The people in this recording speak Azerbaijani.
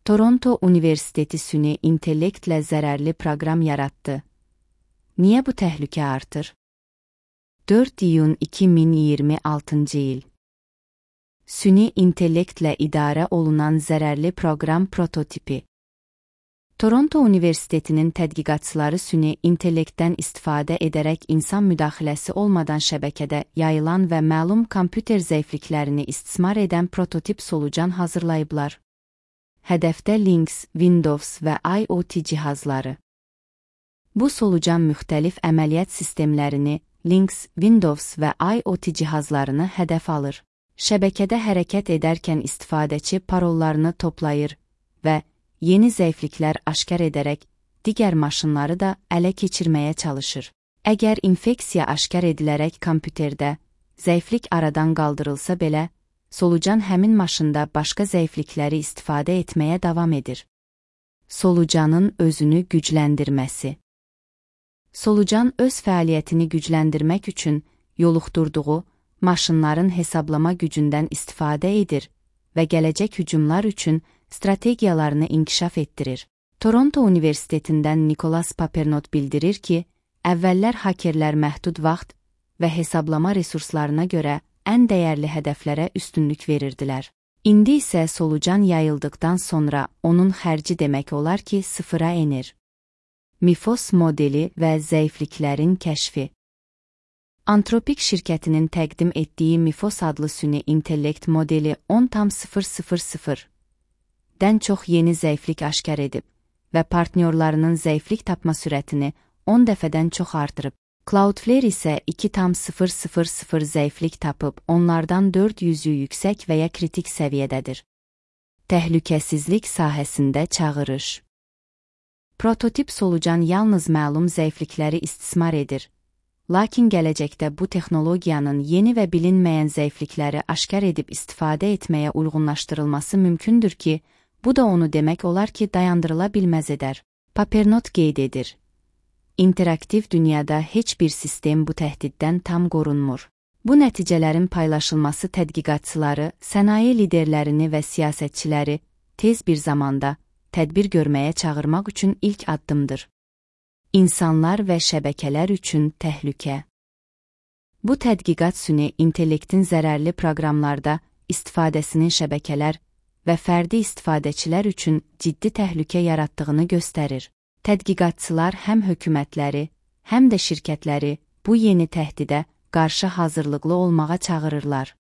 Toronto Universiteti süni intellektlə zərərli proqram yaratdı. Niyə bu təhlükə artır? 4 iyun 2026 il. Süni intellektlə idarə olunan zərərli proqram prototipi. Toronto Universitetinin tədqiqatçıları süni intellektdən istifadə edərək insan müdaxiləsi olmadan şəbəkədə yayılan və məlum kompüter zəifliklərini istismar edən prototip solucan hazırlayıblar. Hədəfdə Linux, Windows və IoT cihazları. Bu solucan müxtəlif əməliyyat sistemlərini, Linux, Windows və IoT cihazlarını hədəf alır. Şəbəkədə hərəkət edərkən istifadəçi parollarını toplayır və yeni zəifliklər aşkar edərək digər maşınları da ələ keçirməyə çalışır. Əgər infeksiya aşkar edilərək kompüterdə zəiflik aradan qaldırılsa belə, solucan həmin maşında başqa zəiflikləri istifadə etməyə davam edir. Solucanın özünü gücləndirməsi. Solucan öz fəaliyyətini gücləndirmək üçün yoluxdurduğu maşınların hesablama gücündən istifadə edir və gələcək hücumlar üçün strategiyalarını inkişaf etdirir. Toronto Universitetindən Nicholas Papernot bildirir ki, əvvəllər hakerlər məhdud vaxt və hesablama resurslarına görə ən dəyərli hədəflərə üstünlük verirdilər. İndi isə solucan yayıldıqdan sonra onun xərci demək olar ki, sıfıra enir. Mifos modeli və zəifliklərin kəşfi. Antropik şirkətinin təqdim etdiyi Mifos adlı süni intellekt modeli 10,000-dən çox yeni zəiflik aşkar edib və partnyorlarının zəiflik tapma sürətini 10 dəfədən çox artırıb. Cloudflare isə 2,000 zəiflik tapıb, onlardan 400-ü yüksək və ya kritik səviyyədədir. Təhlükəsizlik sahəsində çağırış. Prototip solucan yalnız məlum zəiflikləri istismar edir. Lakin gələcəkdə bu texnologiyanın yeni və bilinməyən zəiflikləri aşkar edib istifadə etməyə uyğunlaşdırılması mümkündür ki, bu da onu demək olar ki, dayandırıla bilməz edər. Papernot qeyd edir. İnteraktiv dünyada heç bir sistem bu təhdiddən tam qorunmur. Bu nəticələrin paylaşılması tədqiqatçıları, sənaye liderlərini və siyasətçiləri tez bir zamanda tədbir görməyə çağırmaq üçün ilk addımdır. İnsanlar və şəbəkələr üçün təhlükə. Bu tədqiqat süni intellektin zərərli proqramlarda istifadəsinin şəbəkələr və fərdi istifadəçilər üçün ciddi təhlükə yaratdığını göstərir. Tədqiqatçılar həm hökumətləri, həm də şirkətləri bu yeni təhdidə qarşı hazırlıqlı olmağa çağırırlar.